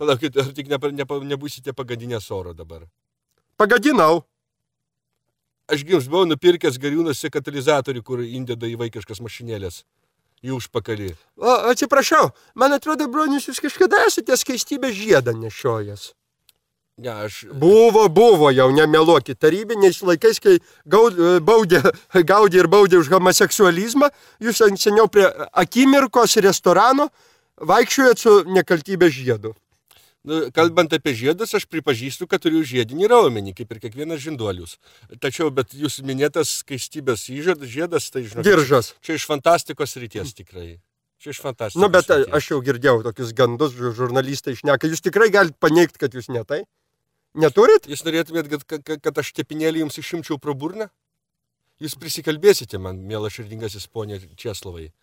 Palaukit, ar tik nebūsite pagadinęs oro dabar? Pagadinau. Aš jums buvau nupirkęs Gariūnuose katalizatorių, kur įdeda į vaikiškas mašinėlės. Į užpakalį. Atsiprašau, man atrodo, bronius, jūs kažkada esate skaistybės žiedą nešiojęs. Ne, aš... Buvo jau, nemeluokit, tarybiniais laikais, kai gaudė ir baudė už homoseksualizmą, jūs seniau prie akimirkos restorano vaikščiojat su nekaltybės žiedu. Kalbant apie žiedus, aš pripažįstu, kad turiu žiedinį raumenį, kaip ir kiekvienas žinduolius. Tačiau, bet jūs minėtas skaistybės žiedas, tai žinot... Diržas. Čia iš fantastikos ryties tikrai. Čia iš fantastikos bet ryties. Aš jau girdėjau tokius gandus, žurnalistai šneka. Jūs tikrai galite paneigti, kad jūs ne tai? Neturit? Jūs norėtumėt, kad aš tepinėlį jums išimčiau pro burną? Jūs prisikalbėsite man, mielas širdingasis ponė Česlovai.